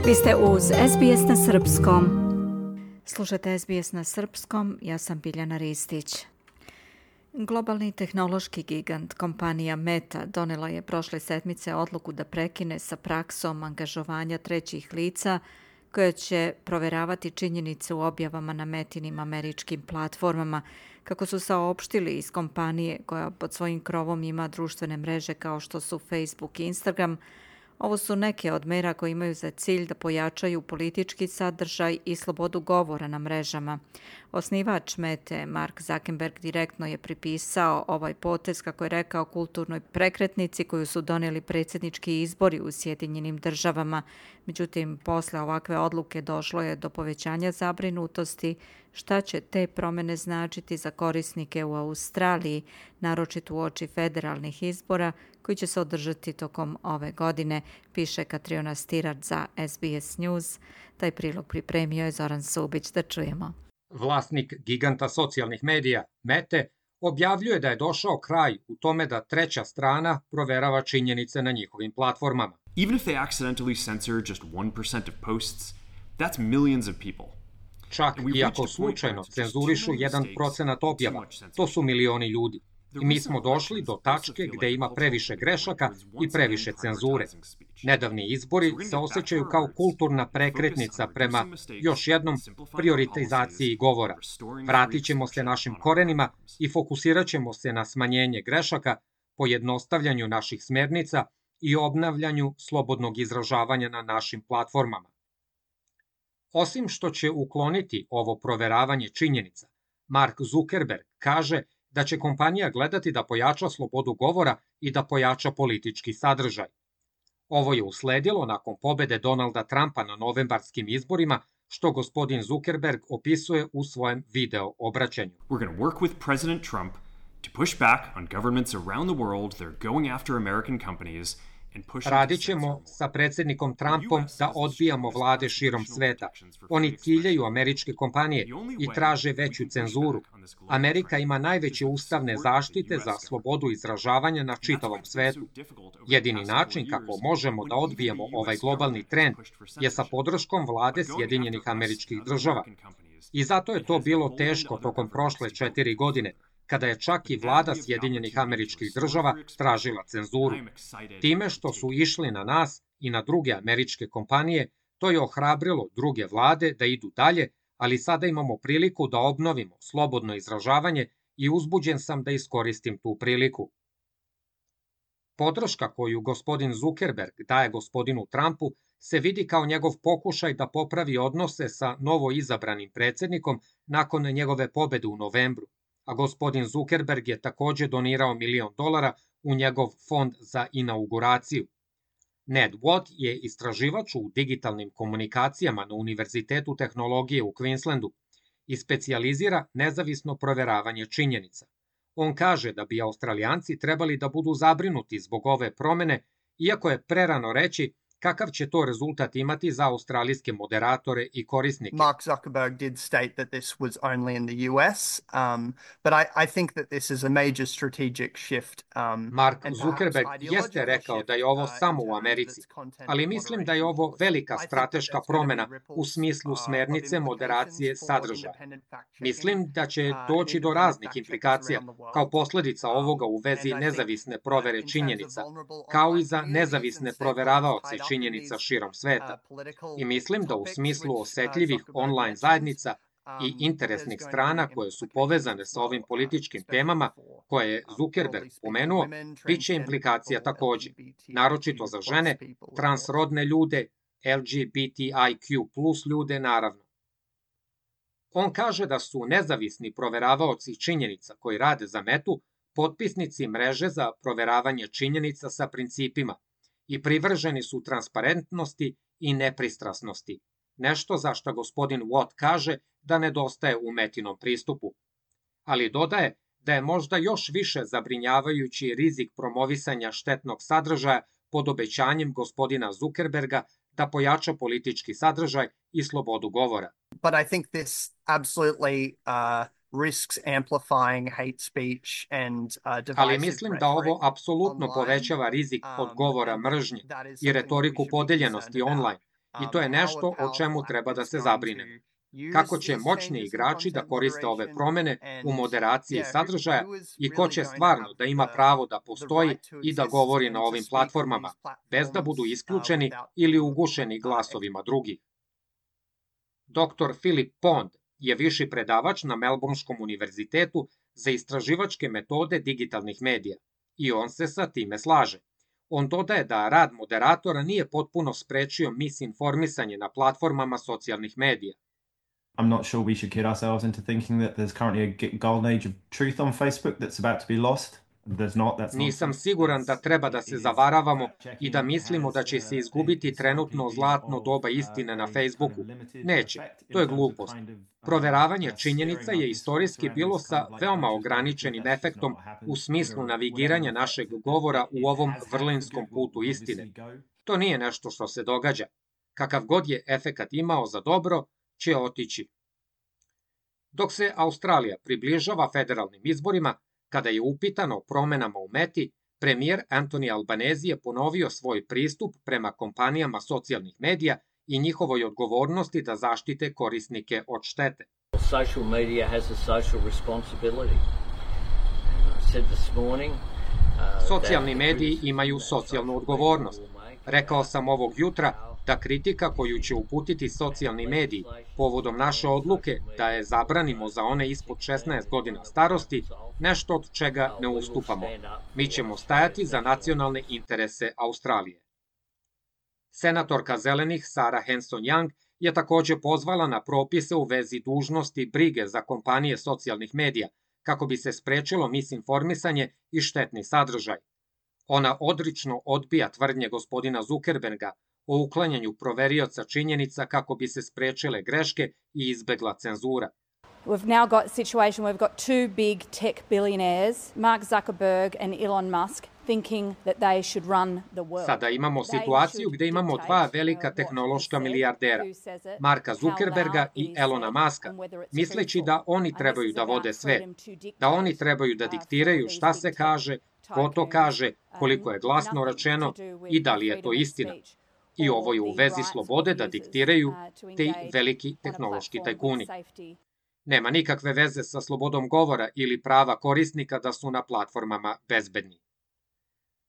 Vi ste uz SBS na Srpskom. Slušate SBS na Srpskom, ja sam Biljana Ristić. Globalni tehnološki gigant kompanija Meta donela je prošle sedmice odluku da prekine sa praksom angažovanja trećih lica koja će proveravati činjenice u objavama na Metinim američkim platformama, kako su saopštili iz kompanije koja pod svojim krovom ima društvene mreže kao što su Facebook i Instagram. Ovo su neke od mera koje imaju za cilj da pojačaju politički sadržaj i slobodu govora na mrežama. Osnivač Mete, Mark Zuckerberg, direktno je pripisao ovaj potez, kako je rekao, kulturnoj prekretnici koju su donijeli predsjednički izbori u Sjedinjenim državama. Međutim, posle ovakve odluke došlo je do povećanja zabrinutosti šta će te promjene značiti za korisnike u Australiji, naročito uoči federalnih izbora koji će se održati tokom ove godine, piše Katriona Stirat za SBS News. Taj prilog pripremio je Zoran Subić, da čujemo. Vlasnik giganta socijalnih medija, Mete, objavljuje da je došao kraj u tome da treća strana proverava činjenice na njihovim platformama. Even if they accidentally censor just 1% of posts, that's millions of people. Čak i ako slučajno cenzurišu 1% objava, to su milioni ljudi. I mi smo došli do tačke gde ima previše grešaka i previše cenzure. Nedavni izbori se osjećaju kao kulturna prekretnica prema još jednom prioritizaciji govora. Vratit ćemo se našim korenima i fokusirat ćemo se na smanjenje grešaka, pojednostavljanju naših smernica i obnavljanju slobodnog izražavanja na našim platformama. Osim što će ukloniti ovo proveravanje činjenica, Mark Zuckerberg kaže da će kompanija gledati da pojača slobodu govora i da pojača politički sadržaj. Ovo je usledilo nakon pobede Donalda Trumpa na novembarskim izborima, što gospodin Zuckerberg opisuje u svojem video obraćanju. We're going to work with President Trump to push back on governments around the world that are going after American companies. Radit ćemo sa predsjednikom Trumpom da odbijamo vlade širom sveta. Oni ciljaju američke kompanije i traže veću cenzuru. Amerika ima najveće ustavne zaštite za slobodu izražavanja na čitavom svetu. Jedini način kako možemo da odbijemo ovaj globalni trend je sa podrškom vlade Sjedinjenih Američkih Država. I zato je to bilo teško tokom prošle 4 godine, kada je čak i vlada Sjedinjenih Američkih Država tražila cenzuru. Time što su išli na nas i na druge američke kompanije, to je ohrabrilo druge vlade da idu dalje, ali sada imamo priliku da obnovimo slobodno izražavanje i uzbuđen sam da iskoristim tu priliku. Podrška koju gospodin Zuckerberg daje gospodinu Trumpu se vidi kao njegov pokušaj da popravi odnose sa novoizabranim predsjednikom nakon njegove pobede u novembru, a gospodin Zuckerberg je također donirao $1 milion u njegov fond za inauguraciju. Ned Watt je istraživač u digitalnim komunikacijama na Univerzitetu tehnologije u Queenslandu i specijalizira nezavisno proveravanje činjenica. On kaže da bi Australijanci trebali da budu zabrinuti zbog ove promene, iako je prerano reći kakav će to rezultat imati za australijske moderatore i korisnike. Mark Zuckerberg did state that this was only in the US, but I think that this is a major strategic shift. Mark Zuckerberg jeste rekao da je ovo samo u Americi, ali mislim da je ovo velika strateška promjena u smislu smernice moderacije sadržaja. Mislim da će doći do raznih implikacija kao posljedica ovoga u vezi nezavisne provere činjenica, kao i za nezavisne proveravaoce činjenica širom sveta. I mislim da u smislu osetljivih online zajednica i interesnih strana koje su povezane sa ovim političkim temama koje je Zuckerberg pomenuo, bit će implikacija također, naročito za žene, transrodne ljude, LGBTIQ+ ljude naravno. On kaže da su nezavisni proveravaoci činjenica koji rade za Metu potpisnici mreže za proveravanje činjenica sa principima i privrženi su transparentnosti i nepristrasnosti, nešto za što gospodin Watt kaže da nedostaje u Metinom pristupu. Ali dodaje da je možda još više zabrinjavajući rizik promovisanja štetnog sadržaja pod obećanjem gospodina Zuckerberga da pojača politički sadržaj i slobodu govora. But I think this absolutely risks amplifying hate speech and divisive Ali mislim da ovo apsolutno povećava rizik od govora mržnje i retoriku podeljenosti online I to je nešto o čemu treba da se zabrinemo. Kako će moćni igrači da koriste ove promene u moderaciji sadržaja i ko će stvarno da ima pravo da postoji i da govori na ovim platformama, bez da budu isključeni ili ugušeni glasovima drugih. Dr. Philip Pond je viši predavač na Melbourneskom univerzitetu za istraživačke metode digitalnih medija i on se sa time slaže. On dodaje da rad moderatora nije potpuno sprečio misinformisanje na platformama socijalnih medija. I'm not sure we should kid ourselves into thinking that there's currently a golden age of truth on Facebook that's about to be lost. Nisam siguran da treba da se zavaravamo i da mislimo da će se izgubiti trenutno zlatno doba istine na Facebooku. Neće, to je glupost. Proveravanje činjenica je istorijski bilo sa veoma ograničenim efektom u smislu navigiranja našeg govora u ovom vrlinskom putu istine. To nije nešto što se događa. Kakav god je efekat imao za dobro, će otići. Dok se Australija približava federalnim izborima, kada je upitano o promenama u Meti, premijer Anthony Albanese je ponovio svoj pristup prema kompanijama socijalnih medija i njihovoj odgovornosti da zaštite korisnike od štete. Social media has a social responsibility. Socijalni mediji imaju socijalnu odgovornost. Rekao sam ovog jutra da kritika koju će uputiti socijalni mediji povodom naše odluke da je zabranimo za one ispod 16 godina starosti, nešto od čega ne ustupamo. Mi ćemo stajati za nacionalne interese Australije. Senatorka Zelenih Sarah Hanson-Young je takođe pozvala na propise u vezi dužnosti brige za kompanije socijalnih medija, kako bi se sprečilo misinformisanje i štetni sadržaj. Ona odrično odbija tvrdnje gospodina Zuckerberga o uklanjanju proverioca činjenica kako bi se sprečile greške i izbegla cenzura. We've now got a situation where we've got two big tech billionaires, Mark Zuckerberg and Elon Musk, thinking that they should run the world. Sada imamo situaciju gde imamo dva velika tehnološka milijardera, Marka Zuckerberga i Elona Muska, misleći da oni trebaju da vode svet, da oni trebaju da diktiraju šta se kaže, ko to kaže, koliko je glasno rečeno i da li je to istina. I ovo je u vezi slobode da diktiraju ti veliki tehnološki tajkuni. Nema nikakve veze sa slobodom govora ili prava korisnika da su na platformama bezbedni.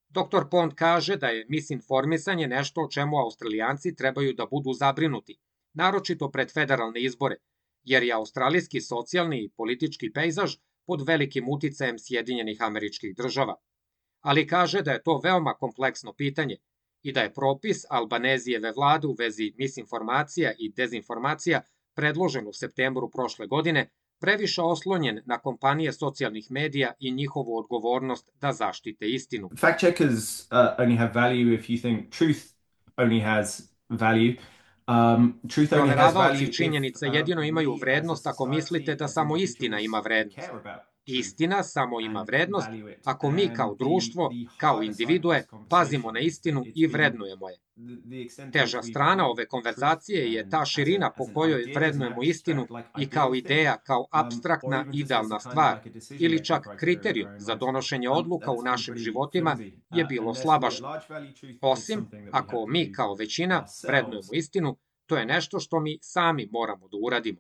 Dr. Pond kaže da je misinformisanje nešto o čemu Australijanci trebaju da budu zabrinuti, naročito pred federalne izbore, jer je australijski socijalni i politički pejzaž pod velikim uticajem Sjedinjenih Američkih Država. Ali kaže da je to veoma kompleksno pitanje i da je propis Albanezijeve vlade u vezi misinformacija i dezinformacija predložen u septembru prošle godine previše oslonjen na kompanije socijalnih medija i njihovu odgovornost da zaštite istinu. Fact checkers only have value if you think truth only has value. Proveravaoci činjenica jedino imaju vrednost ako mislite da samo istina ima vrednost. Istina samo ima vrednost ako mi kao društvo, kao individue, pazimo na istinu i vrednujemo je. Teža strana ove konverzacije je ta širina po kojoj vrednujemo istinu i kao ideja, kao apstraktna idealna stvar, ili čak kriterijum za donošenje odluka u našim životima je bilo slabašno. Osim ako mi kao većina vrednujemo istinu, to je nešto što mi sami moramo da uradimo.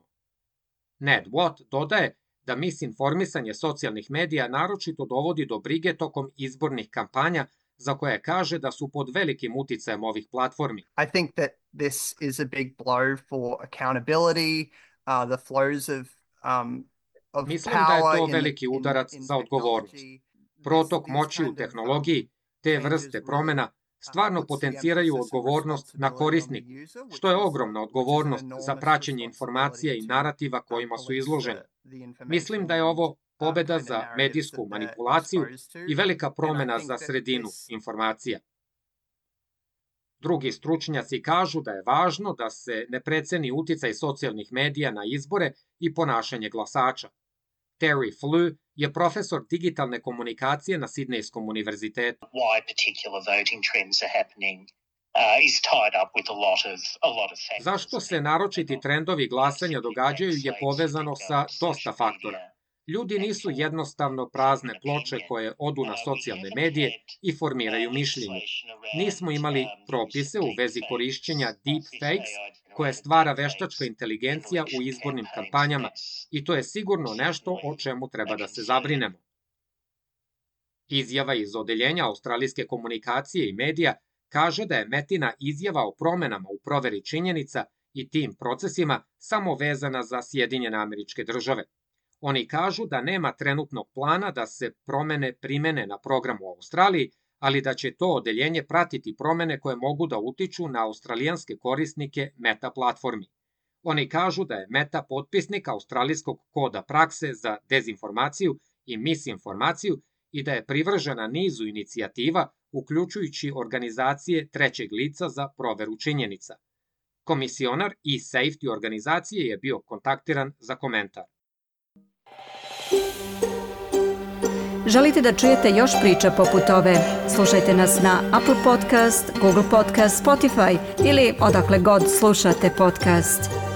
Ned Watt dodaje da misinformisanje socijalnih medija naročito dovodi do brige tokom izbornih kampanja za koje kaže da su pod velikim uticajem ovih platformi. I think that this is a big blow for accountability, the flows of Mislim da je to veliki udarac za odgovornost. Protok moći u tehnologiji, te vrste promena, stvarno potenciraju odgovornost na korisnik, što je ogromna odgovornost za praćenje informacija i narativa kojima su izložene. Mislim da je ovo pobeda za medijsku manipulaciju i velika promena za sredinu informacija. Drugi stručnjaci kažu da je važno da se ne preceni uticaj socijalnih medija na izbore i ponašanje glasača. Terry Flew je profesor digitalne komunikacije na Sidnejskom univerzitetu. Zašto se naročiti trendovi glasanja događaju je povezano sa dosta faktora. Ljudi nisu jednostavno prazne ploče koje odu na socijalne medije i formiraju mišljenje. Nismo imali propise u vezi korišćenja deepfakes, koje stvara veštačka inteligencija u izbornim kampanjama, i to je sigurno nešto o čemu treba da se zabrinemo. Izjava iz Odeljenja australijske komunikacije i medija kaže da je Metina izjava o promenama u proveri činjenica i tim procesima samo vezana za Sjedinjene Američke Države. Oni kažu da nema trenutnog plana da se promene primene na programu u Australiji, ali da će to odeljenje pratiti promene koje mogu da utiču na australijanske korisnike Meta platformi. Oni kažu da je Meta potpisnik australijskog koda prakse za dezinformaciju i misinformaciju i da je privržena nizu inicijativa, uključujući organizacije trećeg lica za proveru činjenica. Komisionar e-Safety organizacije je bio kontaktiran za komentar. Želite da čujete još priča poput ove? Slušajte nas na Apple Podcast, Google Podcast, Spotify ili odakle god slušate podcast.